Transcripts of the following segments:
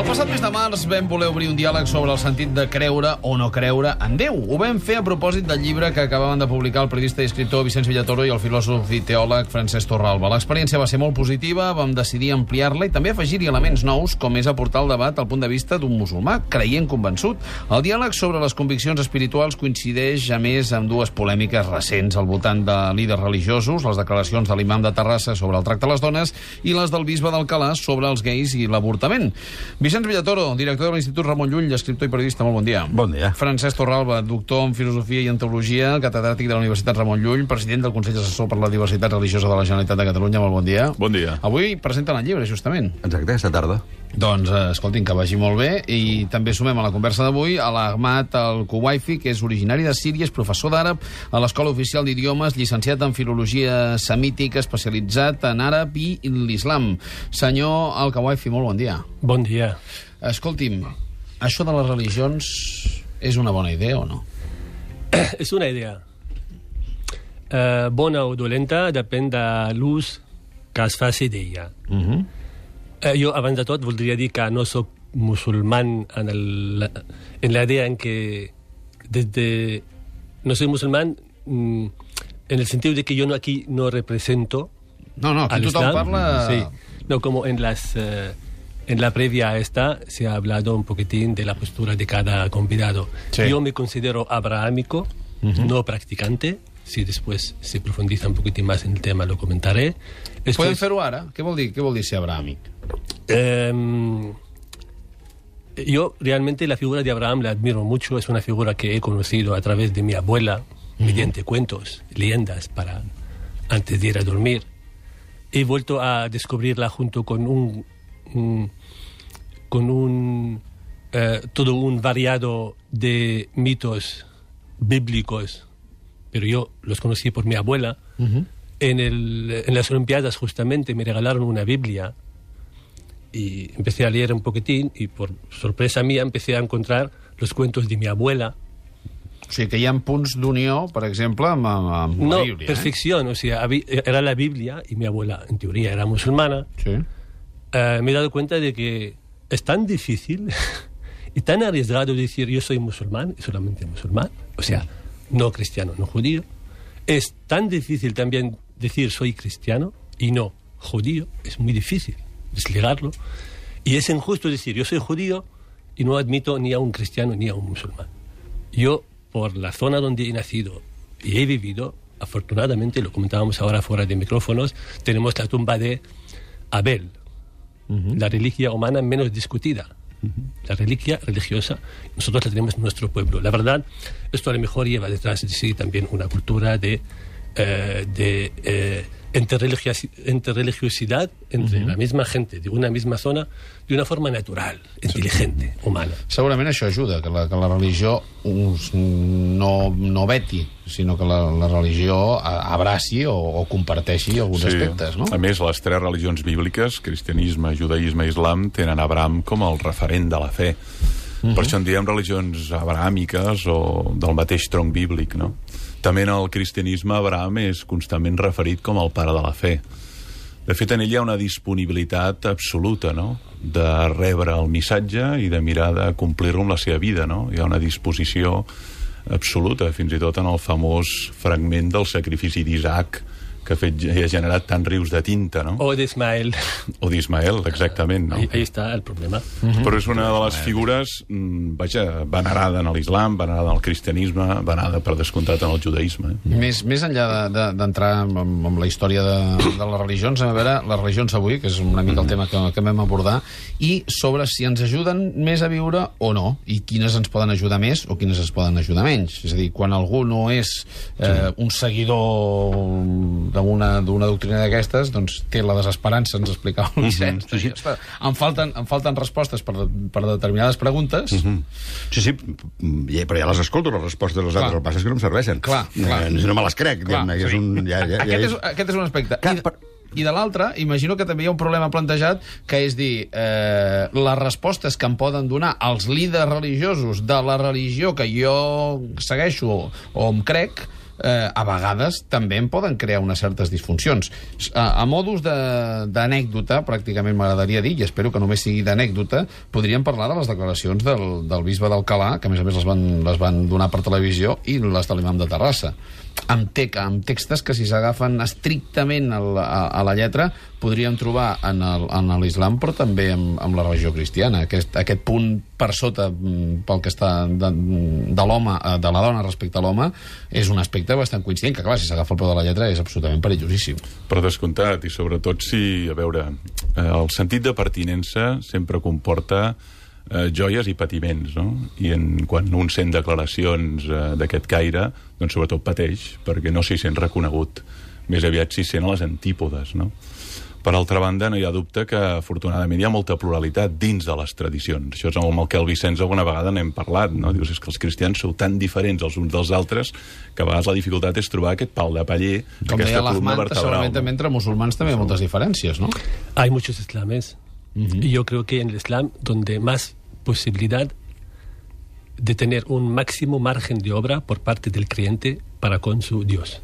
El passat mes de març vam voler obrir un diàleg sobre el sentit de creure o no creure en Déu. Ho vam fer a propòsit del llibre que acabaven de publicar el periodista i escriptor Vicenç Villatoro i el filòsof i teòleg Francesc Torralba. L'experiència va ser molt positiva, vam decidir ampliar-la i també afegir-hi elements nous, com és aportar el debat al punt de vista d'un musulmà creient convençut. El diàleg sobre les conviccions espirituals coincideix, a més, amb dues polèmiques recents al voltant de líders religiosos, les declaracions de l'imam de Terrassa sobre el tracte a les dones i les del bisbe d'Alcalà sobre els gais i l'avortament. Vicenç Villatoro, director de l'Institut Ramon Llull, escriptor i periodista, molt bon dia. Bon dia. Francesc Torralba, doctor en Filosofia i en Teologia, catedràtic de la Universitat Ramon Llull, president del Consell Assessor per la Diversitat Religiosa de la Generalitat de Catalunya, molt bon dia. Bon dia. Avui presenten el llibre, justament. Exacte, aquesta tarda. Doncs, escoltin, que vagi molt bé. I també sumem a la conversa d'avui a l'Ahmad Al-Kuwaifi, que és originari de Síria, és professor d'àrab a l'Escola Oficial d'Idiomes, llicenciat en Filologia Semítica, especialitzat en àrab i l'islam. Senyor Al-Kuwaifi, molt bon dia. Bon dia. Escolti'm, això de les religions és una bona idea o no? És una idea. Bona o dolenta depèn de l'ús que es faci d'ella. Jo, abans de tot, voldria dir que no soc musulmán en la idea en que desde... No soy musulmán en el sentido de que yo aquí no represento... No, aquí tothom parla... Sí. No, como en la previa a esta se ha hablado un poquitín de la postura de cada convidado. Sí. Yo me considero abrahámico, no practicante. Si después se profundiza un poquitín más en el tema, lo comentaré. Podem fer-ho ara? Què vol dir ser abrahàmic? Yo realmente la figura de Abraham la admiro mucho. Es una figura que he conocido a través de mi abuela, mediante cuentos, leyendas, antes de ir a dormir. He vuelto a descubrirla junto con todo un variado de mitos bíblicos, pero yo los conocí por mi abuela. En las Olimpiadas justamente me regalaron una Biblia y empecé a leer un poquitín y por sorpresa mía empecé a encontrar los cuentos de mi abuela. O sigui, que hi ha punts d'unió, per exemple, amb la Bíblia. No, perfección. O sea, era la Biblia y mi abuela, en teoría, era musulmana. Sí. Me he dado cuenta de que es tan difícil y tan arriesgado decir yo soy musulmán y solamente musulmán, o sea, no cristiano, no judío. Es tan difícil también decir soy cristiano y no judío, es muy difícil desligarlo. Y es injusto decir yo soy judío y no admito ni a un cristiano ni a un musulmán. Yo, por la zona donde he nacido y he vivido, afortunadamente, lo comentábamos ahora fuera de micrófonos, tenemos la tumba de Abel, la reliquia humana menos discutida. La reliquia religiosa, nosotros la tenemos en nuestro pueblo. La verdad, esto a lo mejor lleva detrás de sí también una cultura de interreligiosidad entre la misma gente de una misma zona de una forma natural, intel·ligente, humana. Segurament això ajuda, que la religió no veti, sinó que la religió abraci o comparteixi alguns aspectes, no? A més, les tres religions bíbliques, cristianisme, judaïsme i islam, tenen Abraham com el referent de la fe. Per això en diem religions abrahàmiques o del mateix tronc bíblic, no? També en el cristianisme Abraham és constantment referit com el pare de la fe. De fet, en ell hi ha una disponibilitat absoluta, no?, de rebre el missatge i de mirar de complir-lo amb la seva vida, no? Hi ha una disposició absoluta, fins i tot en el famós fragment del sacrifici d'Isaac, que ha generat tants rius de tinta, no? O d'Ismael. O d'Ismael, exactament, no? Ahí està el problema. Però és una de les figures, venerada en l'islam, venerada en el cristianisme, venerada, per descomptat, en el judaïsme. Més enllà d'entrar amb la història de les religions, a veure, les religions avui, que és una mica el tema que vam abordar, i sobre si ens ajuden més a viure o no, i quines ens poden ajudar més o quines ens poden ajudar menys. És a dir, quan algú no és un seguidor d'una doctrina d'aquestes, doncs té la desesperança, ens explicava el Vicenç. Em falten respostes per determinades preguntes. Sí, però ja les escolto, les respostes dels altres. El que passa és que no em serveixen. Clar. No me les crec. Aquest és un aspecte. I de l'altre, imagino que també hi ha un problema plantejat, que és dir, les respostes que em poden donar els líders religiosos de la religió que jo segueixo o em crec, a vegades també en poden crear unes certes disfuncions. A modus d'anècdota, pràcticament m'agradaria dir, i espero que només sigui d'anècdota, podríem parlar de les declaracions del bisbe d'Alcalà, que a més les van donar per televisió, i les de l'imam de Terrassa, amb textos que si s'agafen estrictament a la lletra podríem trobar en l'islam, però també amb la religió cristiana. Aquest punt per sota pel que està de l'home, de la dona respecte a l'home, és un aspecte bastant coincident, que clar, si s'agafa el peu de la lletra és absolutament perillosíssim. Per descomptat, i sobretot si, a veure, el sentit de pertinença sempre comporta joies i patiments, no? I quan un sent declaracions d'aquest caire, doncs sobretot pateix, perquè no s'hi sent reconegut. Més aviat s'hi sent a les antípodes, no? Per altra banda, no hi ha dubte que, afortunadament, hi ha molta pluralitat dins de les tradicions. Això és amb el que el Vicenç alguna vegada n'hem parlat, no? Dius, és que els cristians sou tan diferents els uns dels altres que a vegades la dificultat és trobar aquest pal de paller, aquesta columna vertebral. Segurament també entre musulmans també hi ha moltes diferències, ¿no? Hay muchos islames. Y yo creo que en el Islam, donde más posibilidad de tener un máximo margen de obra por parte del creyente para con su Dios.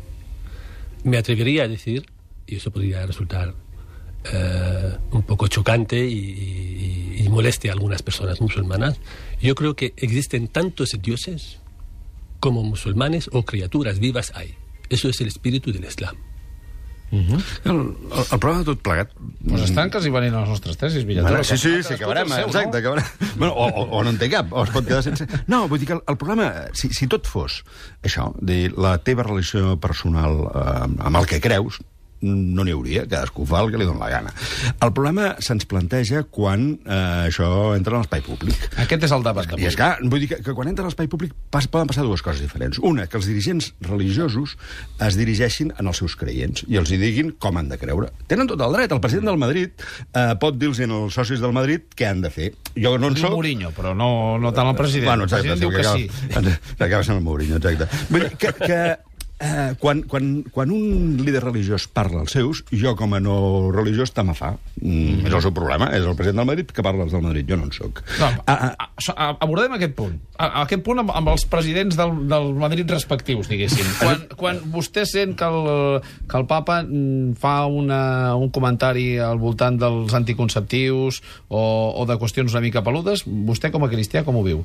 Me atrevería a decir, y eso podría resultar un poco chocante y moleste a algunas personas musulmanas, yo creo que existen tantos dioses como musulmanes o criaturas vivas hay. Eso es el espíritu del Islam. El problema de tot plegat... Doncs estan quasi venint a les nostres tesis, Villatoro. Sí, acabarem, exacte, acabarem. Bueno, o no en té cap, o es pot quedar sense... No, vull dir que el problema, si tot fos això, de la teva relació personal amb el que creus, no n'hi hauria, cadascú fa el que li dona la gana. El problema se'ns planteja quan això entra en l'espai públic. Aquest és el debat d'avui. I és clar, vull dir que quan entra en l'espai públic poden passar dues coses diferents. Una, que els dirigents religiosos es dirigeixin en els seus creients i els hi diguin com han de creure. Tenen tot el dret. El president del Madrid pot dir-los als socis del Madrid què han de fer. Jo no en soc... Mourinho, però no tant el president. Bueno, exacte, el president diu que sí. Acaba sent el Mourinho, exacte. Vull dir que quan un líder religiós parla als seus, jo com a no religiós te m'afà. És el seu problema, és el president del Madrid que parla als del Madrid, jo no en soc. Abordem aquest punt. Aquest punt amb els presidents del Madrid respectius, diguéssim. Quan vostè sent que el papa fa un comentari al voltant dels anticonceptius o de qüestions una mica peludes, vostè com a cristià com ho viu?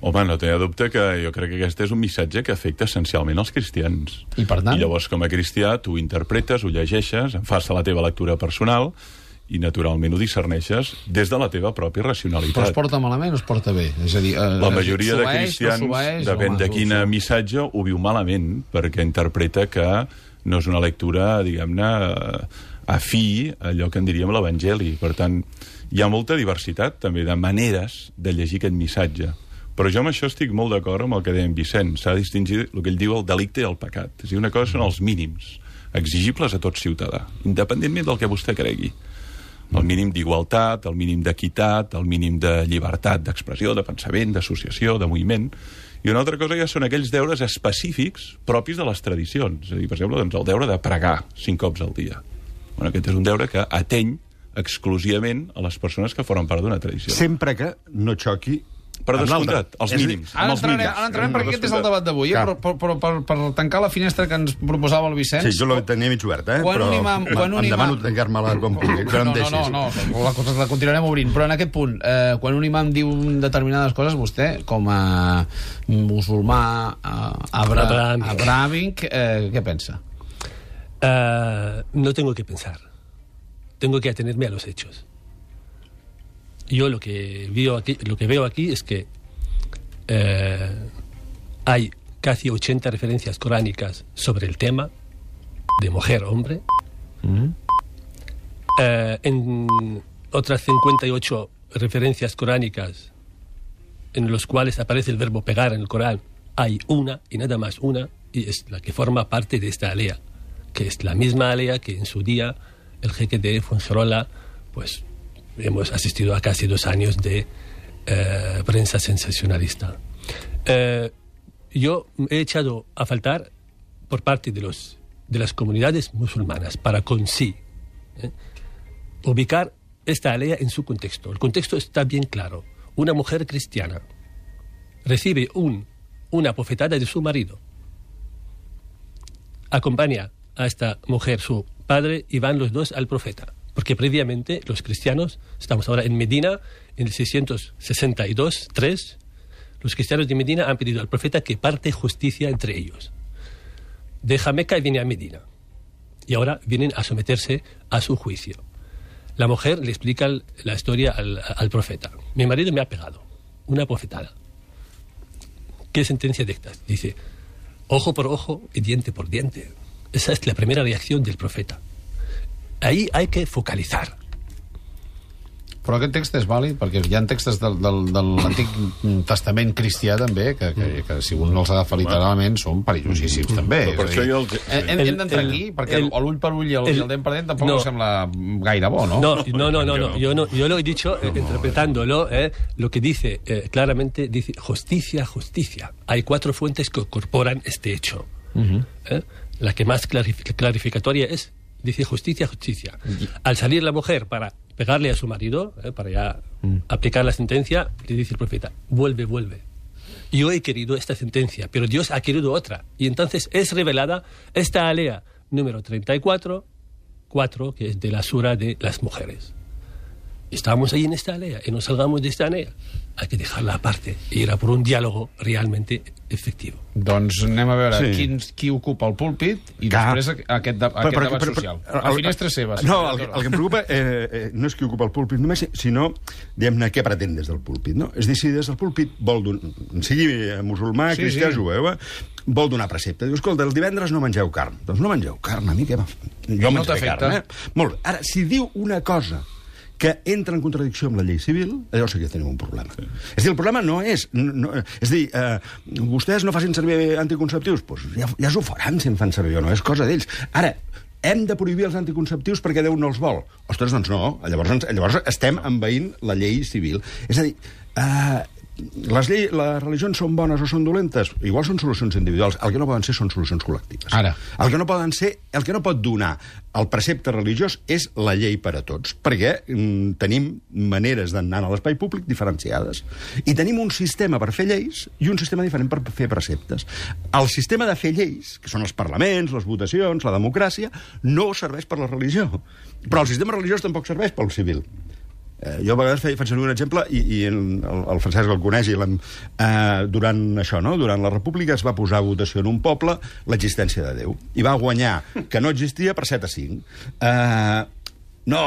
Home, no tenia dubte que jo crec que aquest és un missatge que afecta essencialment els cristians. I per tant? I llavors, com a cristià, tu ho interpretes, ho llegeixes, en fas la teva lectura personal i, naturalment, ho discerneixes des de la teva pròpia racionalitat. Però es porta malament o es porta bé? És a dir, la majoria de cristians, depèn de quin missatge, ho viu malament, perquè interpreta que no és una lectura, diguem-ne, afí a allò que en diríem l'Evangeli. Per tant, hi ha molta diversitat, també, de maneres de llegir aquest missatge. Però jo amb això estic molt d'acord amb el que deia en Vicenç. S'ha de distingir el que ell diu el delicte i el pecat. És a dir, una cosa són els mínims, exigibles a tot ciutadà, independentment del que vostè cregui. El mínim d'igualtat, el mínim d'equitat, el mínim de llibertat d'expressió, de pensament, d'associació, de moviment. I una altra cosa ja són aquells deures específics propis de les tradicions. És a dir, per exemple, doncs, el deure de pregar 5 cops al dia. Bueno, aquest és un deure que ateny exclusivament a les persones que formen part d'una tradició. Sempre que no xoqui per descomptat, els mínims. Ara entrarem perquè aquest és el debat d'avui, però per tancar la finestra que ens proposava el Vicenç... Sí, jo la tenia mig oberta, però em demano tancar-me-la com pugui. No, la continuarem obrint, però en aquest punt, quan un imam diu determinades coses, vostè, com a musulmà abrahàmic, què pensa? No tengo que pensar. Tengo que atenerme a los hechos. Yo lo que veo aquí es que hay casi 80 referencias coránicas sobre el tema de mujer-hombre. En otras 58 referencias coránicas en los cuales aparece el verbo pegar en el Corán, hay una y nada más una, y es la que forma parte de esta alea, que es la misma alea que en su día el jeque de Fuengirola, pues hemos asistido a casi 2 años de prensa sensacionalista. Yo he echado a faltar por parte de las comunidades musulmanas para ubicar esta alea en su contexto. El contexto está bien claro. Una mujer cristiana recibe una bofetada de su marido acompaña a esta mujer, su padre, y van los dos al profeta. Porque previamente los cristianos, estamos ahora en Medina, en el 662-3, los cristianos de Medina han pedido al profeta que parte justicia entre ellos. Deja Meca y viene a Medina. Y ahora vienen a someterse a su juicio. La mujer le explica la historia al profeta. Mi marido me ha pegado, una bofetada. ¿Qué sentencia dictas? Dice, ojo por ojo y diente por diente. Esa es la primera reacción del profeta. Ahí hay que focalizar. Però aquest text és vàlid, perquè hi ha textos de l'Antic Testament cristià també, que si un els agafa literalment són perillosíssims també. Per això jo hem d'entrar aquí, perquè l'ull per ull i el dent per dent tampoc no sembla gaire bo, ¿no? No. Yo lo he dicho interpretándolo, lo que dice claramente, dice justicia, justicia. Hay 4 fuentes que incorporan este hecho. La que más clarificatoria es, dice justicia, justicia. Al salir la mujer para pegarle a su marido, para ya aplicar la sentencia, le dice el profeta, vuelve. Yo he querido esta sentencia, pero Dios ha querido otra. Y entonces es revelada esta alea número 34, 4, que es de la sura de las mujeres. Estábamos ahí en esta alea y no salgamos de esta alea. Hay que dejarla aparte y ir a por un diálogo realmente efectivo. Doncs anem a veure qui ocupa el púlpit i després aquest debat social. La finestra és seva. No, el que em preocupa no és qui ocupa el púlpit només, sinó, diguem-ne, què pretén des del púlpit, no? És a dir, si des del púlpit vol sigui musulmà, cristià, jueu, vol donar precepte. Diu, escolta, el divendres no mengeu carn. Doncs no mengeu carn, a mi què va? Jo menjaré carn, Molt bé. Ara, si diu una cosa que entra en contradicció amb la llei civil, llavors sí que tenim un problema. És a dir, el problema no és... és a dir, vostès no facin servir anticonceptius? Doncs ja s'ho faran si en fan servir o no, és cosa d'ells. Ara, hem de prohibir els anticonceptius perquè Déu no els vol. Ostres, doncs no. Llavors estem envaint la llei civil. És a dir, les religions són bones o són dolentes? Igual són solucions individuals. El que no poden ser són solucions col·lectives. Ara. El que no pot donar el precepte religiós és la llei per a tots, perquè tenim maneres d'anar a l'espai públic diferenciades. I tenim un sistema per fer lleis i un sistema diferent per fer preceptes. El sistema de fer lleis, que són els parlaments, les votacions, la democràcia, no serveix per la religió. Però el sistema religiós tampoc serveix pel civil. Jo a vegades faig servir un exemple i el Francesc el coneix durant això, no? Durant la República es va posar a votació en un poble l'existència de Déu i va guanyar que no existia per 7-5. No,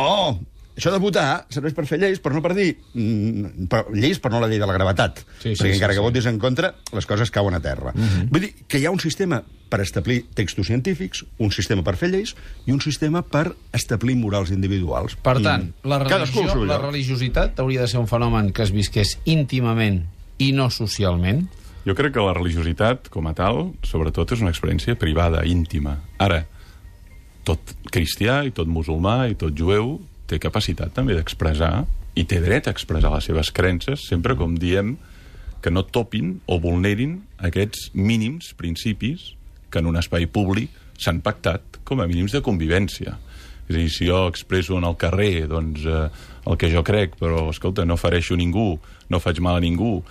això de votar serveix per fer lleis, però no per dir lleis, però no la llei de la gravetat, perquè encara que votis en contra les coses cauen a terra. Vull dir que hi ha un sistema per establir textos científics, un sistema per fer lleis i un sistema per establir morals individuals. Per tant, la religiositat hauria de ser un fenomen que es visqués íntimament i no socialment? Jo crec que la religiositat, com a tal, sobretot és una experiència privada, íntima. Ara, tot cristià i tot musulmà i tot jueu té capacitat també d'expressar i té dret a expressar les seves creences, sempre com diem que no topin o vulnerin aquests mínims principis que en un espai públic s'han pactat com a mínims de convivència. És a dir, si jo expresso en el carrer doncs, el que jo crec, però, escolta, no fereixo ningú, no faig mal a ningú,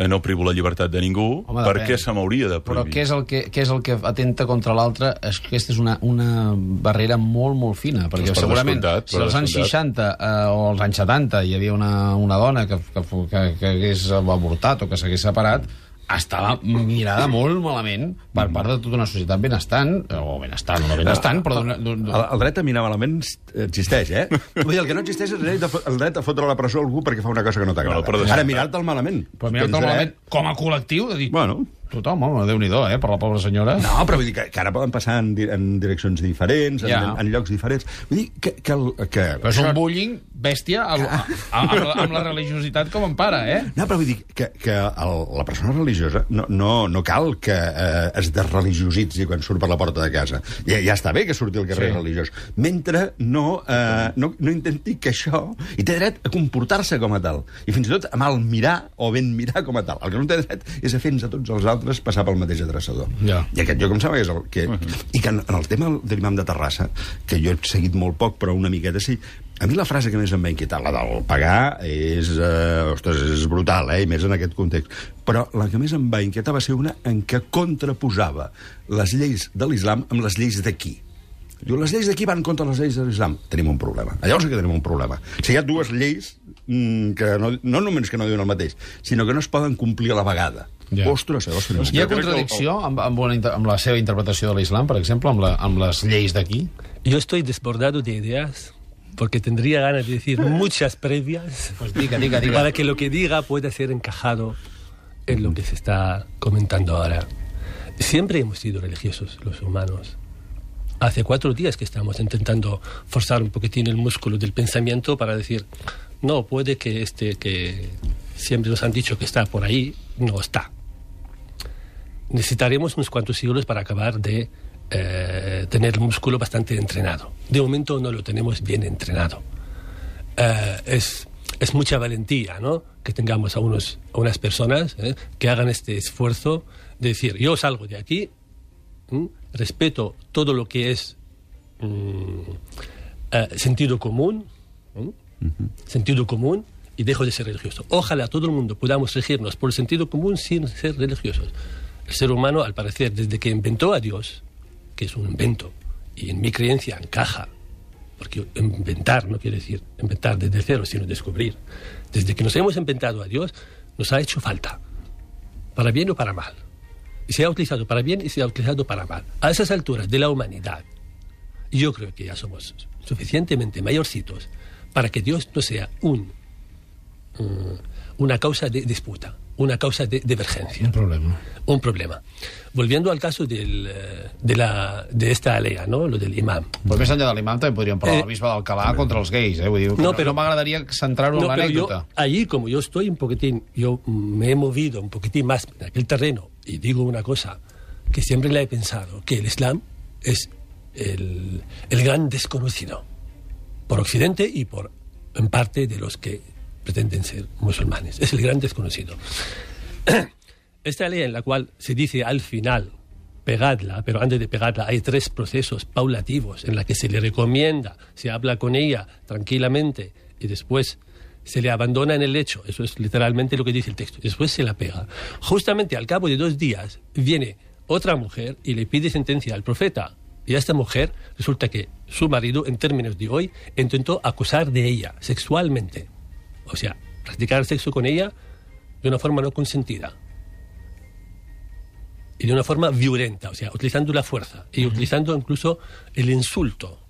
no privo la llibertat de ningú, per què se m'hauria de prohibir? Però què és el que atenta contra l'altre? Aquesta és una barrera molt, molt fina, perquè segurament si als anys 60 o als anys 70 hi havia una dona que hagués avortat o que s'hagués separat, estava mirada molt malament per part de tota una societat benestant, o benestant, o no benestant, però... El dret a mirar malament existeix, Vull dir, el que no existeix és el dret a fotre a la presó algú perquè fa una cosa que no t'agrada. Ara, mirar-te'l malament. Però mirar-te'l malament com a col·lectiu, de dir... Bueno... Tothom, home, Déu-n'hi-do, per la pobra senyora. No, però vull dir que ara poden passar en direccions diferents, en llocs diferents. Vull dir que... Però és un bullying bèstia amb la religiositat com empara, No, però vull dir que la persona religiosa no cal que es desreligiositzi quan surt per la porta de casa. Ja està bé que surti al carrer religiós. Mentre no intenti que això... I té dret a comportar-se com a tal. I fins i tot a mal mirar o ben mirar com a tal. El que no té dret és a fer-nos a tots els altres passar pel mateix adreçador. I aquest jo, com sembla, és el que... I que en el tema de l'imam de Terrassa, que jo he seguit molt poc, però una miqueta sí, A mi la frase que més em va inquietar, la del pagar, és brutal, i més en aquest context. Però la que més em va inquietar va ser una en què contraposava les lleis de l'islam amb les lleis d'aquí. Diu, les lleis d'aquí van contra les lleis de l'islam. Tenim un problema. Llavors sí que tenim un problema. Si hi ha dues lleis que no només que no diuen el mateix, sinó que no es poden complir a la vegada. Ja. Ostres, hi ha contradicció amb la seva interpretació de l'islam, per exemple, amb les lleis d'aquí? Yo estoy desbordado de ideas porque tendría ganas de decir muchas previas Pues diga. para que lo que diga pueda ser encajado en lo que se está comentando ahora. Siempre hemos sido religiosos los humanos. Hace 4 días que estamos intentando forzar un poquitín el músculo del pensamiento para decir, no, puede que que siempre nos han dicho que está por ahí, no está. Necesitaremos unos cuantos siglos para acabar de tener el músculo bastante entrenado. De momento no lo tenemos bien entrenado. Es mucha valentía, ¿no?, que tengamos a unas personas que hagan este esfuerzo de decir, yo salgo de aquí, respeto todo lo que es sentido común, sentido común, y dejo de ser religioso. Ojalá todo el mundo podamos regirnos por el sentido común sin ser religiosos. El ser humano, al parecer, desde que inventó a Dios, que es un invento, y en mi creencia encaja, porque inventar no quiere decir inventar desde cero, sino descubrir. Desde que nos hemos inventado a Dios, nos ha hecho falta, para bien o para mal. Y se ha utilizado para bien y se ha utilizado para mal. A esas alturas de la humanidad, yo creo que ya somos suficientemente mayorcitos para que Dios no sea una causa de disputa, una causa de divergencia. Un problema. Volviendo al caso de esta alea, ¿no?, lo del imam. Pues més enllà de l'imam també podríem parlar del bisbe d'Alcalà contra els gais, Vull dir, no m'agradaria centrar-ho en l'anècdota. Allí, como yo estoy un poquitín, yo me he movido un poquitín más en aquel terreno, y digo una cosa que siempre la he pensado, que el Islam es el gran desconocido por Occidente y por, en parte, de los que pretenden ser musulmanes. Es el gran desconocido. Esta ley en la cual se dice al final, pegadla, pero antes de pegarla hay 3 procesos paulativos en la que se le recomienda, se habla con ella tranquilamente y después se le abandona en el lecho. Eso es literalmente lo que dice el texto. Después se la pega. Justamente al cabo de 2 días viene otra mujer y le pide sentencia al profeta. Y a esta mujer resulta que su marido, en términos de hoy, intentó acusar de ella sexualmente. O sea, practicar sexo con ella de una forma no consentida. Y de una forma violenta, o sea, utilizando la fuerza y utilizando incluso el insulto.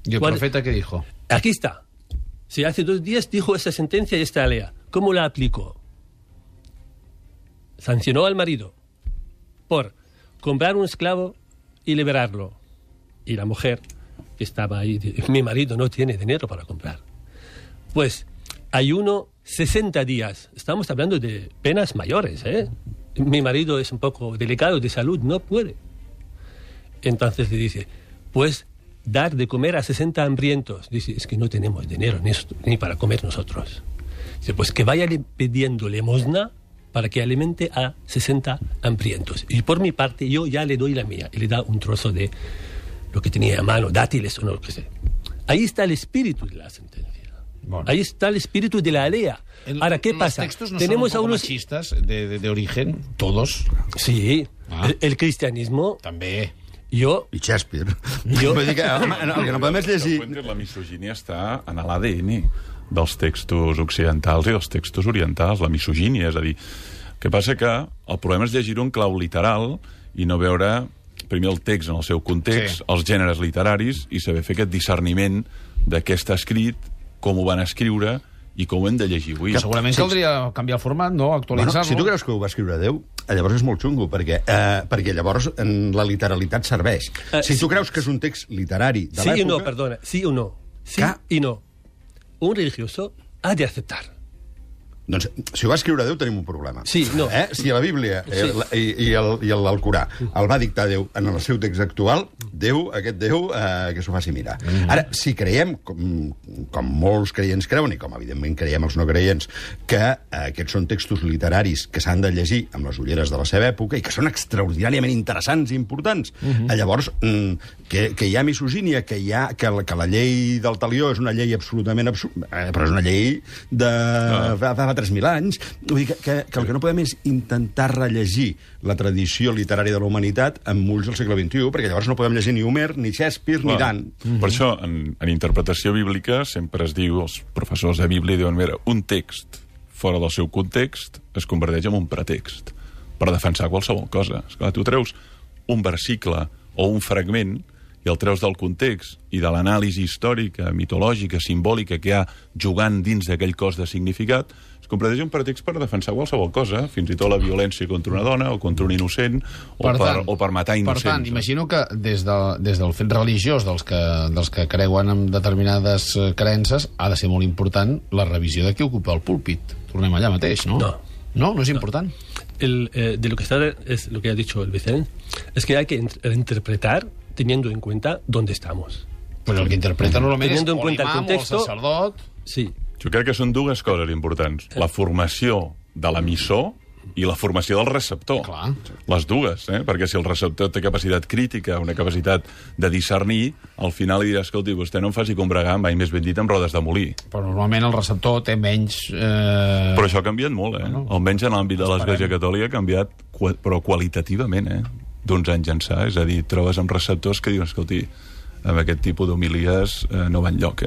¿Y el profeta qué dijo? Aquí está. Si hace 2 días dijo esa sentencia y esta alea. ¿Cómo la aplicó? Sancionó al marido por comprar un esclavo y liberarlo. Y la mujer que estaba ahí, mi marido no tiene dinero para comprar. Pues ayuno 60 días. Estamos hablando de penas mayores, Mi marido es un poco delicado de salud, no puede. Entonces le dice, pues dar de comer a 60 hambrientos. Dice, es que no tenemos dinero ni para comer nosotros. Dice, pues que vaya pidiendo limosna para que alimente a 60 hambrientos. Y por mi parte yo ya le doy la mía. Y le da un trozo de lo que tenía a mano, dátiles o no lo que sea. Ahí está el espíritu de la sentencia. Bueno. Ahí está el espíritu de la alea. Ahora, ¿qué pasa? ¿Los textos no tenemos son un poco machistas de origen? ¿Todos? Sí. El cristianismo... També. Jo... I Shakespeare. Vull dir que, el que no podem és llegir... La misogínia està en l'ADN dels textos occidentals i dels textos orientals, la misogínia, és a dir, el que passa que el problema és llegir-ho en clau literal i no veure primer el text en el seu context, els gèneres literaris, i saber fer aquest discerniment de què està escrit, com ho van escriure i com ho hem de llegir avui. Que segurament caldria canviar el format, no? Actualitzar-lo. Si tu creus que ho va escriure Déu, llavors és molt xungo, perquè llavors la literalitat serveix. Si tu creus que és un text literari de l'època... Sí o no, perdona, sí o no. Sí y no. Un religioso ha de aceptar Doncs, si ho va escriure Déu, tenim un problema. Sí, no. Si la Bíblia i l'Alcorà el va dictar Déu en el seu text actual, aquest Déu, que s'ho faci mirar. Ara, si creiem, com molts creients creuen, i com evidentment creiem els no creients, que aquests són textos literaris que s'han de llegir amb les ulleres de la seva època i que són extraordinàriament interessants i importants, llavors, que hi ha misogínia, que la llei del talió és una llei absolutament però és una llei de fa 3.000 anys. Vull dir que el que no podem és intentar rellegir la tradició literària de la humanitat amb ulls del segle XXI, perquè llavors no podem llegir ni Homer, ni Shakespeare, ni Dant. Per això, en interpretació bíblica, sempre es diu, els professors de Bíblia diuen, mira, un text fora del seu context es converteix en un pretext per defensar qualsevol cosa. Esclar, tu treus un versicle o un fragment i el treus del context i de l'anàlisi històrica, mitològica, simbòlica que hi ha jugant dins d'aquell cos de significat, es converteix un pretext per defensar qualsevol cosa, fins i tot la violència contra una dona o contra un innocent o per matar innocents. Per tant, imagino que des del fet religiós dels que creuen en determinades creences ha de ser molt important la revisió de qui ocupa el púlpit. Tornem allà mateix, no? No es important. De lo que es lo que ha dicho el Vicente, es que hay que interpretar teniendo en cuenta dónde estamos. Pues el que interpreta normalment és teniendo en cuenta el contexto, o el sacerdot. Sí. Jo crec que són dues coses importants. La formació de l'emissor i la formació del receptor. Clar. Les dues, perquè si el receptor té capacitat crítica, una capacitat de discernir, al final li dirà, escolti, vostè no em faci combregar, mai més ben dit, amb rodes de molí. Però normalment el receptor té menys... Però això ha canviat molt, almenys en l'àmbit de l'Església Catòlica ha canviat, però qualitativament, d'uns anys ençà. És a dir, trobes amb receptors que diuen, escolti, amb aquest tipus d'homilies no va enlloc,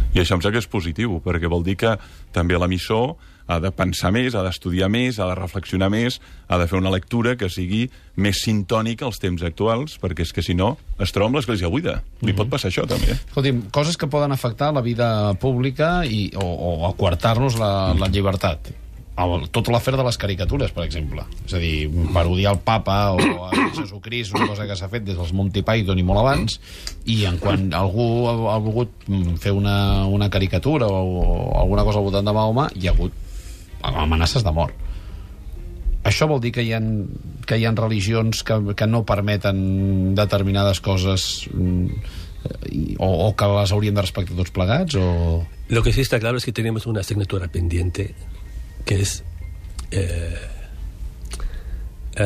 I això em sembla que és positiu, perquè vol dir que també l'emissor ha de pensar més, ha d'estudiar més, ha de reflexionar més, ha de fer una lectura que sigui més sintònica als temps actuals, perquè és que si no es troba amb l'església buida. Li pot passar això, també. Escolti'm, coses que poden afectar la vida pública o aquartar-nos la llibertat. Tota l'afer de les caricatures, per exemple. És a dir, parodiar el papa o a Jesucrist, una cosa que s'ha fet des dels Monty Python i molt abans, i quan algú ha volgut fer una caricatura o alguna cosa al voltant de Mahoma, hi ha hagut amenaces de mort. Això vol dir que hi ha religions que no permeten determinades coses o que les hauríem de respectar tots plegats? Lo que sí está claro es que tenemos una asignatura pendiente que es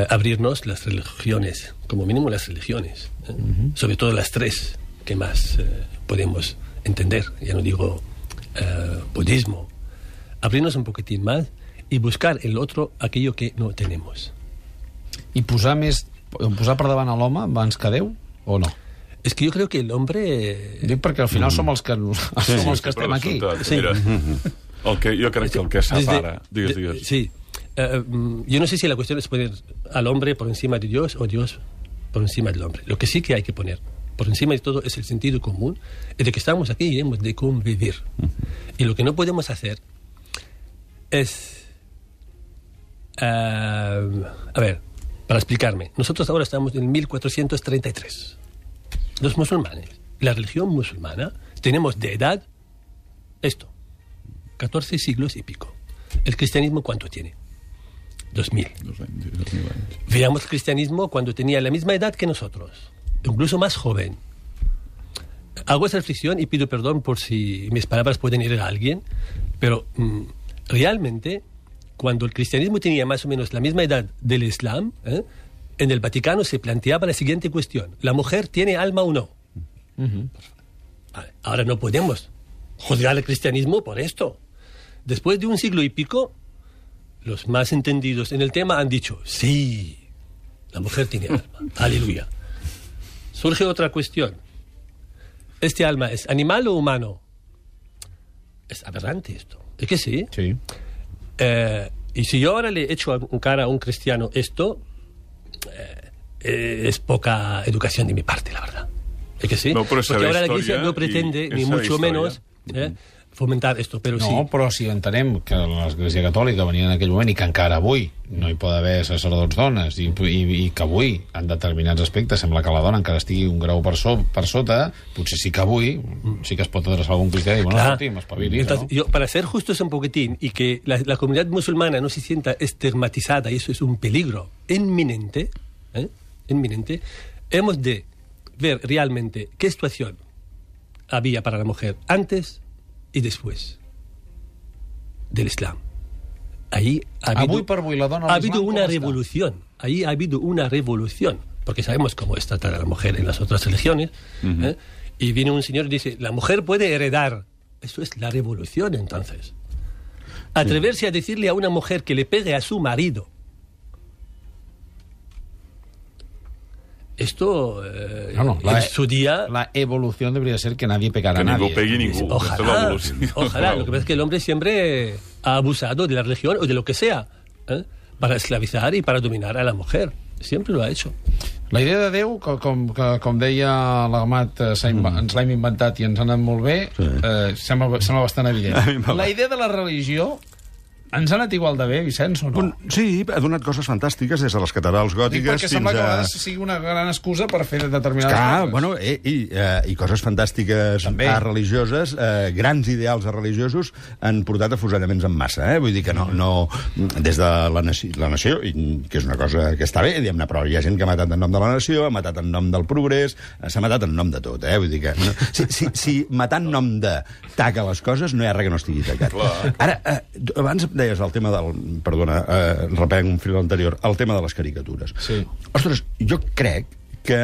abrirnos las religiones, como mínimo las religiones, sobre todo las tres que más podemos entender, ya no digo budismo, abrirnos un poquitín más y buscar el otro aquello que no tenemos. I posar per davant a l'home abans que Déu, o no? Es que yo creo que el hombre... Dic perquè al final som els que estem aquí. Sí. Mira, jo crec que el que separa... Digues. Sí. Yo no sé si la cuestión es poner al hombre por encima de Dios o Dios por encima del hombre. Lo que sí que hay que poner por encima de todo es el sentido común de que estamos aquí y hemos de convivir. Y lo que no podemos hacer es... a ver, para explicarme. Nosotros ahora estamos en 1433. Los musulmanes, la religión musulmana, tenemos de edad esto, 14 siglos y pico. ¿El cristianismo cuánto tiene? 2000. Veamos el cristianismo cuando tenía la misma edad que nosotros, incluso más joven. Hago esa reflexión y pido perdón por si mis palabras pueden herir a alguien, pero realmente, cuando el cristianismo tenía más o menos la misma edad del Islam, en el Vaticano se planteaba la siguiente cuestión: ¿la mujer tiene alma o no? Vale, ahora no podemos juzgar al cristianismo por esto. Después de un siglo y pico, los más entendidos en el tema han dicho, sí, la mujer tiene alma. Aleluya. Surge otra cuestión. ¿Este alma es animal o humano? Es aberrante esto. ¿Es que sí? Sí. Y si yo ahora le echo en cara a un cristiano esto, es poca educación de mi parte, la verdad. ¿Es que sí? No, porque ahora la Iglesia no pretende, ni mucho menos, fomentar esto, pero No, sí. però si entenem que l'Església Catòlica venia en aquell moment i que encara avui no hi pot haver sacerdots dones i que avui, en determinats aspectes, sembla que la dona encara estigui un grau per sota, potser sí que avui sí que es pot adreçar a algun cristià i dir, bueno, escolti'm, espavilis, ¿no? Yo, para ser justos un poquitín y que la comunidad musulmana no se sienta estigmatizada, y eso es un peligro inminente, inminente, hemos de ver realmente qué situación había para la mujer antes y después del Islam. Ahí ha habido una revolución. Ahí ha habido una revolución, porque sabemos cómo está tratada la mujer en las otras religiones. Y viene un señor y dice, la mujer puede heredar. Eso es la revolución, entonces. Atreverse a decirle a una mujer que le pegue a su marido. Esto, en su día... La evolución debería ser que nadie pegara a nadie. Que ningú pegui ningú. Ojalá. Lo que pasa es que el hombre siempre ha abusado de la religión o de lo que sea, para esclavizar y para dominar a la mujer. Siempre lo ha hecho. La idea de Déu, com deia l'Amat, ens l'hem inventat i ens ha anat molt bé, sembla bastant evident. La idea de la religió ens ha anat igual de bé, Vicenç, o no? Sí, ha donat coses fantàstiques des de les catedrals gòtiques perquè sembla que a vegades sigui una gran excusa per fer determinades coses. Bueno, i coses fantàstiques religioses, grans ideals religiosos han portat afusellaments en massa, Vull dir que no des de la nació, que és una cosa que està bé, diguem-ne, però hi ha gent que ha matat en nom de la nació, ha matat en nom del progrés, s'ha matat en nom de tot, Vull dir que... Si matar en nom de taca les coses, no hi ha res que no estigui tacat. Ara, abans deies el tema del... Perdona, reprenc un fil anterior. El tema de les caricatures. Sí. Ostres, jo crec que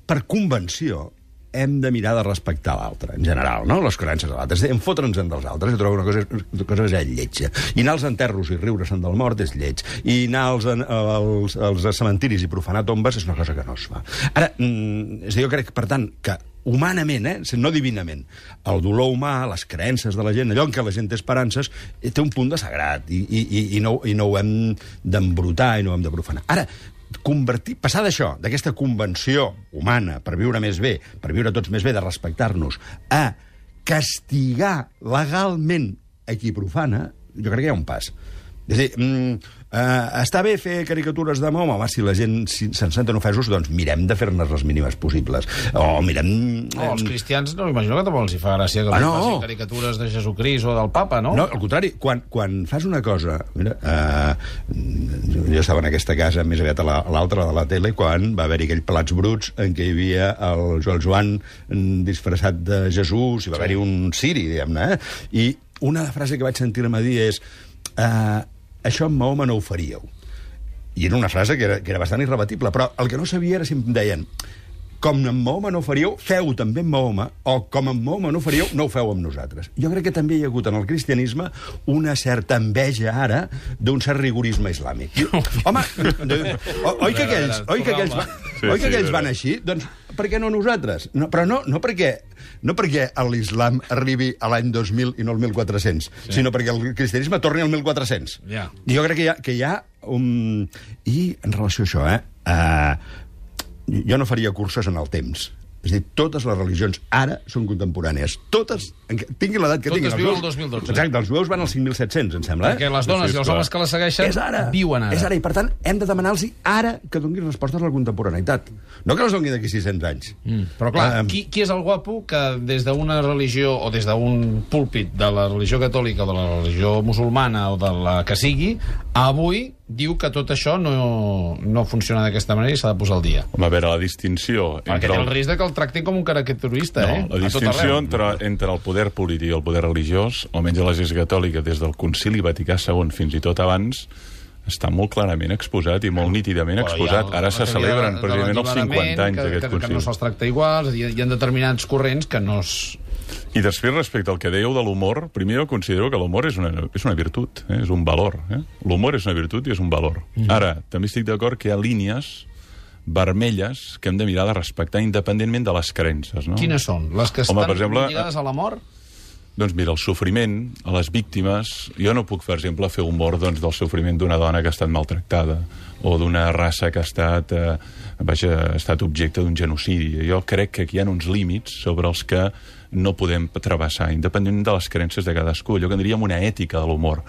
per convenció hem de mirar de respectar l'altre, en general, no? Les creences de l'altre. En fotre'ns en dels altres, jo trobo una cosa és lletja. I anar als enterros i riure-se'n del mort és lleig. I anar als cementiris i profanar tombes és una cosa que no es fa. Ara, jo crec, per tant, que humanament, no divinament, el dolor humà, les creences de la gent, allò en què la gent té esperances, té un punt de sagrat i no ho hem d'embrutar i no ho hem de profanar. Ara, passar d'això, d'aquesta convenció humana per viure més bé, per viure tots més bé, de respectar-nos, a castigar legalment a qui profana, jo crec que hi ha un pas. És a dir, està bé fer caricatures de Mahoma? Home, si la gent se'n senten ofesos, doncs mirem de fer-ne les mínimes possibles. O mirem... Els cristians, no m'imagino que tampoc els hi fa gràcia que facin caricatures de Jesucrist o del Papa, no? No, al contrari, quan fas una cosa... Mira, jo estava en aquesta casa, més aviat a l'altra de la tele, quan va haver-hi aquell Plats Bruts en què hi havia el Joan disfressat de Jesús, i va haver-hi un ciri, diguem-ne, I una frase que vaig sentir-me dir és... això amb Mahoma no ho faríeu. I era una frase que era bastant irrebatible, però el que no sabia era si em deien com amb Mahoma no ho faríeu, feu també amb Mahoma, o com amb Mahoma no ho faríeu, no ho feu amb nosaltres. Jo crec que també hi ha hagut en el cristianisme una certa enveja ara d'un cert rigorisme islàmic. Home, oi que aquells van així? Doncs per què no nosaltres? Però no perquè l'islam arribi a l'any 2000 i no al 1400, sinó perquè el cristianisme torni al 1400. I jo crec que hi ha un... I en relació a això, jo no faria curses en el temps. És a dir, totes les religions ara són contemporànies. Totes, tinguin l'edat que tinguin. Totes viuen al 2012. Exacte, els jueus van als 5.700, em sembla. Perquè les dones i els homes que les segueixen viuen ara. És ara, i per tant hem de demanar-los ara que donin respostes a la contemporaneïtat. No que les donin d'aquí 600 anys. Però clar, qui és el guapo que des d'una religió o des d'un púlpit de la religió catòlica o de la religió musulmana o de la que sigui, avui diu que tot això no funciona d'aquesta manera i s'ha de posar al dia? Home, a veure, la distinció... Perquè té el risc que el tractin com un caricaturista, La distinció entre el poder polític i el poder religiós, almenys a l'Església Catòlica, des del Concili Vaticà II fins i tot abans, està molt clarament exposat i molt nítidament exposat. Ara se celebren precisament els 50 anys d'aquest concili. Que no se'ls tracta igual, hi ha determinats corrents que no es... I després, respecte al que dèieu de l'humor, primer jo considero que l'humor és una virtut, és un valor. L'humor és una virtut i és un valor. Ara, també estic d'acord que hi ha línies vermelles que hem de mirar de respectar independentment de les creences. No? Quines són? Les que estan lligades a la mort? Doncs mira, el sofriment a les víctimes... Jo no puc, per exemple, fer humor del sofriment d'una dona que ha estat maltractada o d'una raça que ha estat objecte d'un genocidi. Jo crec que aquí hi ha uns límits sobre els que no podem travessar, independentment de les creences de cadascú. Allò que en diríem una ètica de l'humor,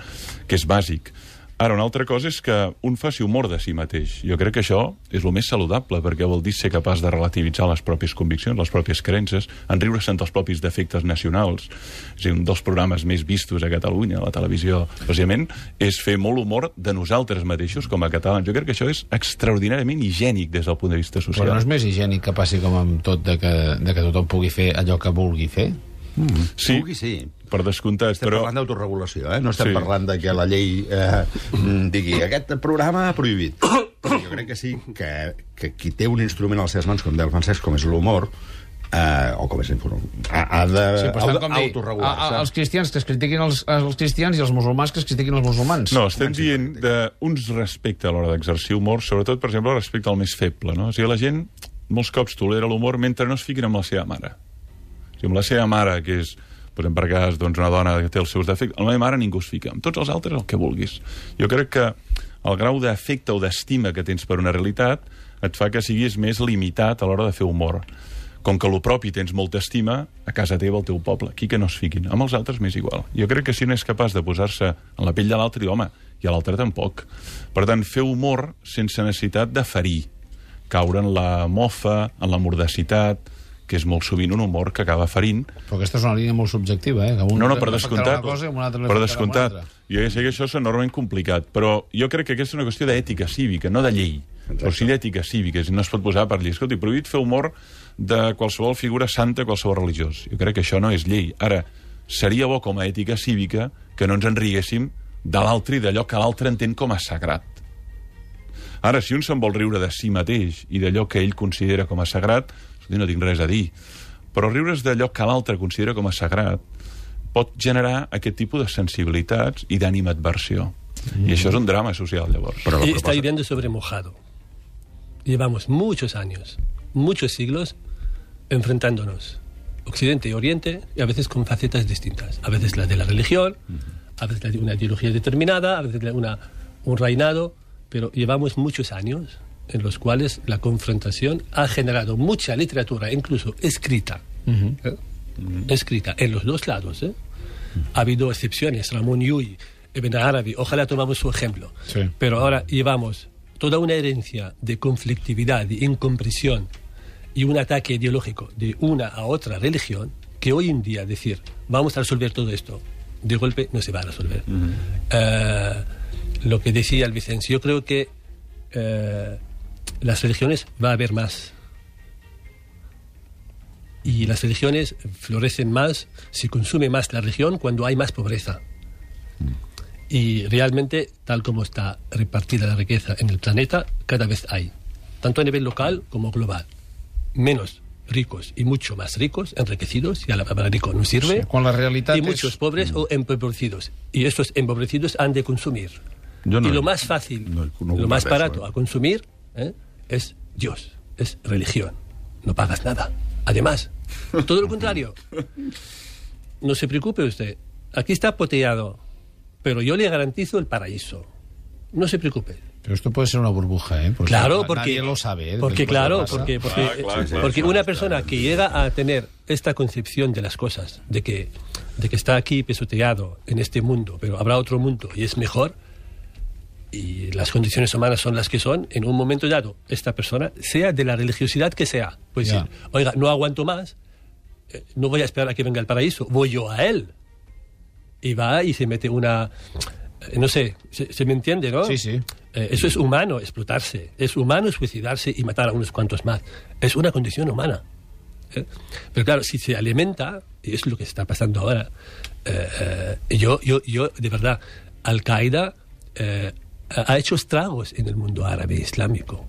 que és bàsic. Ara, una altra cosa és que un faci humor de si mateix. Jo crec que això és el més saludable, perquè vol dir ser capaç de relativitzar les pròpies conviccions, les pròpies creences, enriure-se'n dels propis defectes nacionals. És a dir, un dels programes més vistos a Catalunya, a la televisió, precisament, és fer molt humor de nosaltres mateixos com a catalans. Jo crec que això és extraordinàriament higiènic des del punt de vista social. Però no és més higiènic que passi com amb tot, de que tothom pugui fer allò que vulgui fer? Sí, sí. Per descomptat. Estem parlant d'autoregulació, no estem parlant de que la llei digui aquest programa prohibit. Jo crec que sí, que qui té un instrument a les seves mans, com deia el Francesc, com és l'humor, o com és ha d'autoregular-se. Els cristians que es critiquin els cristians i els musulmans que es critiquin els musulmans. No, estem dient d'uns respecte a l'hora d'exercir humor, sobretot, per exemple, respecte al més feble, no? O sigui, la gent molts cops tolera l'humor mentre no es fiquin amb la seva mare. O sigui, amb la seva mare, que és, per exemple, per cas, una dona que té els seus defectes, amb la meva mare ningú es fica. Amb tots els altres, el que vulguis. Jo crec que el grau d'afecte o d'estima que tens per una realitat et fa que siguis més limitat a l'hora de fer humor. Com que a lo propi tens molta estima, a casa teva, al teu poble. Aquí que no es fiquin. Amb els altres m'és igual. Jo crec que si no és capaç de posar-se en la pell de l'altre, home, i a l'altre tampoc. Per tant, fer humor sense necessitat de ferir. Caure en la mofa, en la mordacitat, que és molt sovint un humor que acaba ferint. Però aquesta és una línia molt subjectiva, Que no, per descomptat. Per descomptat. Jo ja sé que això és enormement complicat, però jo crec que aquesta és una qüestió d'ètica cívica, no de llei. Però sí d'ètica cívica, no es pot posar per llei. Escolta, prohibit fer humor de qualsevol figura santa, qualsevol religiós. Jo crec que això no és llei. Ara, seria bo com a ètica cívica que no ens enriguéssim de l'altre i d'allò que l'altre entén com a sagrat. Ara, si un se'n vol riure de si mateix i d'allò que ell considera com a sagrat, no tinc res a dir, però riure's d'allò que l'altre considera com a sagrat pot generar aquest tipus de sensibilitats i d'animadversió. I això és un drama social, llavors. Está hirviendo sobre mojado. Llevamos muchos años, muchos siglos, enfrentándonos, Occidente y Oriente, y a veces con facetas distintas. A veces la de la religión, a veces la de una ideología determinada, a veces un reinado, pero llevamos muchos años en los cuales la confrontación ha generado mucha literatura, incluso escrita, escrita en los dos lados. Ha habido excepciones, Ramón Llull, Ibn Arabi, ojalá tomamos su ejemplo. Sí. Pero ahora llevamos toda una herencia de conflictividad, de incomprensión y un ataque ideológico de una a otra religión, que hoy en día decir, vamos a resolver todo esto, de golpe no se va a resolver. Lo que decía el Vicente, yo creo que las religiones va a haber más. Y las religiones florecen más, se consume más la religión cuando hay más pobreza. Y realmente, tal como está repartida la riqueza en el planeta, cada vez hay, tanto a nivel local como global, menos ricos y mucho más ricos, enriquecidos, y a la palabra rico no sirve, sí, con la realidad y muchos pobres o empobrecidos. Y estos empobrecidos han de consumir. Y lo más fácil, lo más barato a consumir es Dios, es religión. No pagas nada. Además, todo lo contrario. No se preocupe usted. Aquí está poteado, pero yo le garantizo el paraíso. No se preocupe. Pero esto puede ser una burbuja, Porque claro, porque nadie lo sabe. Porque una persona que llega a tener esta concepción de las cosas, de que está aquí pisoteado en este mundo, pero habrá otro mundo y es mejor, y las condiciones humanas son las que son, en un momento dado, esta persona, sea de la religiosidad que sea, pues decir, oiga, no aguanto más, no voy a esperar a que venga el paraíso, voy yo a él. Y va y se mete una... No sé, se me entiende, ¿no? Sí, sí. Eso es humano, explotarse. Es humano suicidarse y matar a unos cuantos más. Es una condición humana. Pero claro, si se alimenta, y es lo que está pasando ahora, yo de verdad, Al-Qaeda ha hecho estragos en el mundo árabe islámico.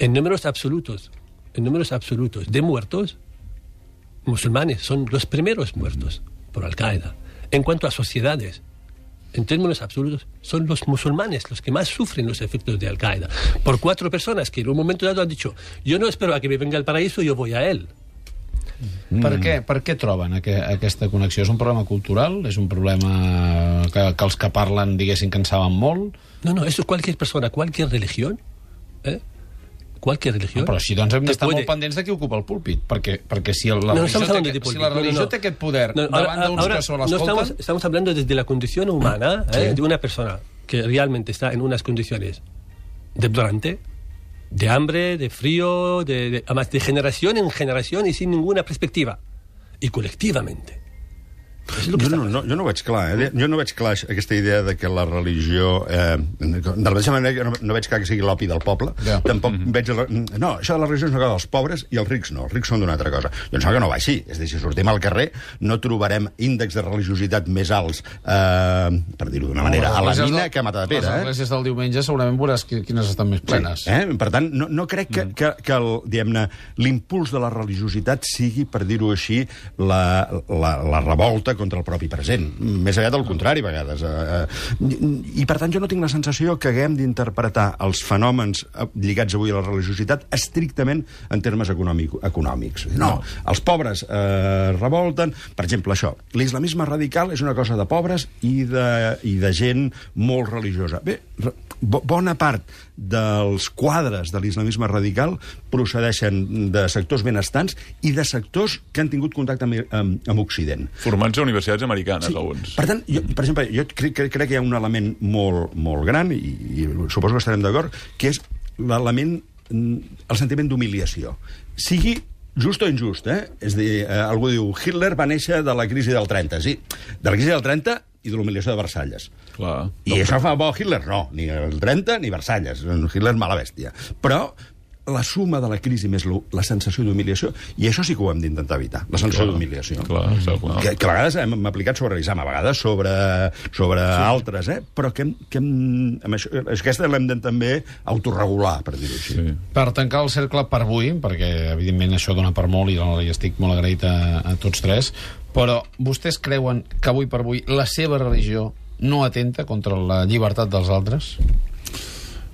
En números absolutos de muertos, musulmanes son los primeros muertos por Al-Qaeda. En cuanto a sociedades, en términos absolutos, son los musulmanes los que más sufren los efectos de Al-Qaeda. Por 4 personas que en un momento dado han dicho, yo no espero a que me venga el paraíso, yo voy a él. Per què troben aquesta connexió? És un problema cultural? És un problema que els que parlen, diguessin, que en saben molt? No, eso cualquier persona, cualquier religión, cualquier religión... Però si doncs hem d'estar molt pendents de qui ocupa el púlpit, perquè si la religió té aquest poder davant d'uns que se l'escolten... Estamos hablando desde la condición humana, de una persona que realmente está en unas condiciones deplorantes, de hambre, de frío, además de generación en generación y sin ninguna perspectiva, y colectivamente. Jo no veig clar, Jo no veig clar aquesta idea de que la religió... de la mateixa manera que no veig clar que sigui l'opi del poble, tampoc veig... No, això de la religió és una cosa dels pobres i els rics no. Els rics són d'una altra cosa. Jo em sembla que no va així. És a dir, si sortim al carrer no trobarem índexs de religiositat més alts, per dir-ho d'una manera, a la mina que a Matadepera. Les esglésies del diumenge segurament veuràs quines estan més plenes. Per tant, no crec que l'impuls de la religiositat sigui, per dir-ho així, la revolta contra el propi present. Més aviat al contrari, a vegades. I, per tant, jo no tinc la sensació que haguem d'interpretar els fenòmens lligats avui a la religiositat estrictament en termes econòmics. No, els pobres revolten. Per exemple, això, l'islamisme radical és una cosa de pobres i de gent molt religiosa. Bé, bona part dels quadres de l'islamisme radical procedeixen de sectors benestants i de sectors que han tingut contacte amb Occident. Formats a universitats americanes, alguns. Per tant, per exemple, jo crec que hi ha un element molt gran, i suposo que estarem d'acord, que és l'element, el sentiment d'humiliació. Sigui just o injust, És a dir, algú diu, Hitler va néixer de la crisi del 30. Sí, de la crisi del 30 i de l'humiliació de Versalles. Clar. I això fa bo Hitler? No, ni el 30 ni Versalles. Hitler mala bèstia. Però la suma de la crisi més la sensació d'humiliació, i això sí que ho hem d'intentar evitar, la sensació d'humiliació. Que a vegades hem aplicat sobre l'islam, a vegades sobre altres, però que aquesta l'hem de també autorregular, per dir-ho així. Sí. Per tancar el cercle per avui, perquè evidentment això dona per molt i estic molt agraït a tots tres, però vostès creuen que avui per avui la seva religió no atenta contra la llibertat dels altres?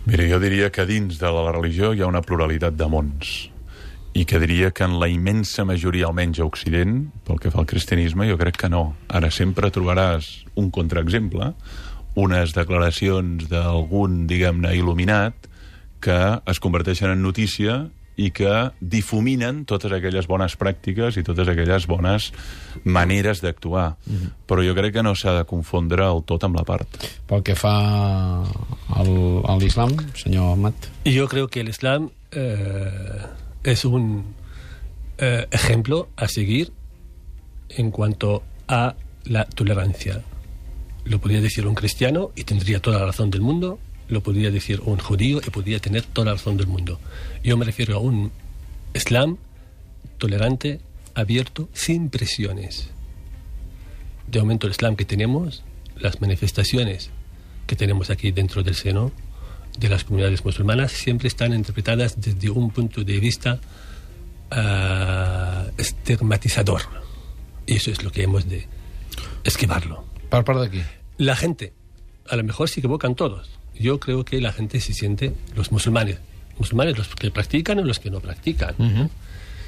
Mira, jo diria que dins de la religió hi ha una pluralitat de mons i que diria que en la immensa majoria, almenys a Occident, pel que fa al cristianisme, jo crec que no. Ara sempre trobaràs un contraexemple, unes declaracions d'algun, diguem-ne, il·luminat que es converteixen en notícia i que difuminen totes aquelles bones pràctiques i totes aquelles bones maneres d'actuar. Però jo crec que no s'ha de confondre el tot amb la part. Pel que fa al Islam, senyor Ahmad. Yo creo que el Islam es un ejemplo a seguir en cuanto a la tolerancia. Lo podría decir un cristiano y tendría toda la razón del mundo. Lo podría decir un judío y podría tener toda la razón del mundo. Yo me refiero a un Islam tolerante, abierto, sin presiones. De momento el Islam que tenemos, las manifestaciones que tenemos aquí dentro del seno de las comunidades musulmanas, siempre están interpretadas desde un punto de vista estigmatizador. Y eso es lo que hemos de esquivarlo. ¿Por parte de aquí? La gente, a lo mejor se equivocan todos. Yo creo que la gente se siente, los musulmanes los que practican o los que no practican,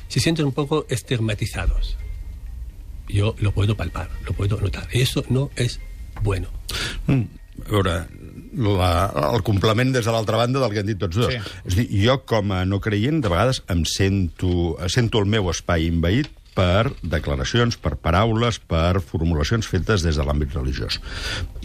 se sienten un poco estigmatizados. Yo lo puedo palpar, lo puedo notar. Eso no es bueno. A veure, el complement des de l'altra banda del que han dit tots dos. Sí. És a dir, jo com a no creient, de vegades em sento el meu espai envaït per declaracions, per paraules, per formulacions fetes des de l'àmbit religiós.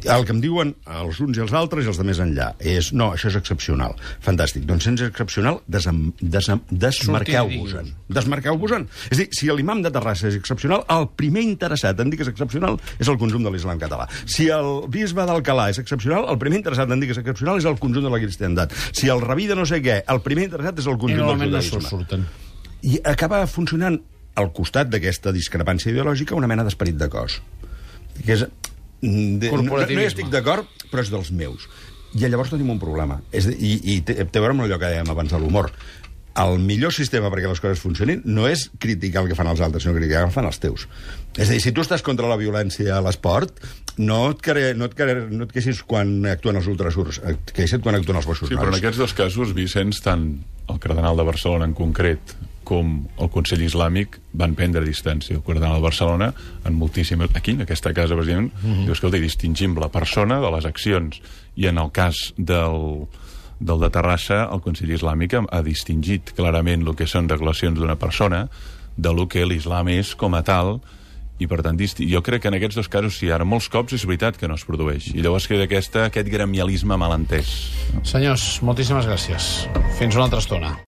El que em diuen els uns i els altres i els de més enllà és, no, això és excepcional. Fantàstic. Doncs si és excepcional, desmarqueu-vos-en. Desmarqueu-vos-en. És a dir, si l'imam de Terrassa és excepcional, el primer interessat en dir que és excepcional és el conjunt de l'islam català. Si el bisbe d'Alcalà és excepcional, el primer interessat en dir que és excepcional és el conjunt de la cristiandat. Si el rabí de no sé què, el primer interessat és el conjunt del judaïsme. I acaba funcionant al costat d'aquesta discrepància ideològica una mena d'esperit de cos. Que és, no hi estic d'acord, però és dels meus. I llavors tenim un problema. I té a veure amb allò que dèiem abans de l'humor. El millor sistema perquè les coses funcionin no és criticar el que fan els altres, sinó criticar el que fan els teus. És a dir, si tu estàs contra la violència a l'esport, no et queixis quan actuen els ultrasurs, et queixa't quan actuen els bossos. Sí, però en aquests dos casos, Vicenç, tant el cardenal de Barcelona en concret com el Consell Islàmic van prendre distància. El Cardenal de Barcelona, en moltíssimes... Aquí, en aquesta casa, precisament, diu, escolta, distingim la persona de les accions. I en el cas del de Terrassa, el Consell Islàmic ha distingit clarament el que són declaracions d'una persona de lo que l'islam és com a tal, i per tant jo crec que en aquests dos casos sí, ara molts cops és veritat que no es produeix, i llavors queda aquest gremialisme malentès. Senyors, moltíssimes gràcies. Fins una altra estona.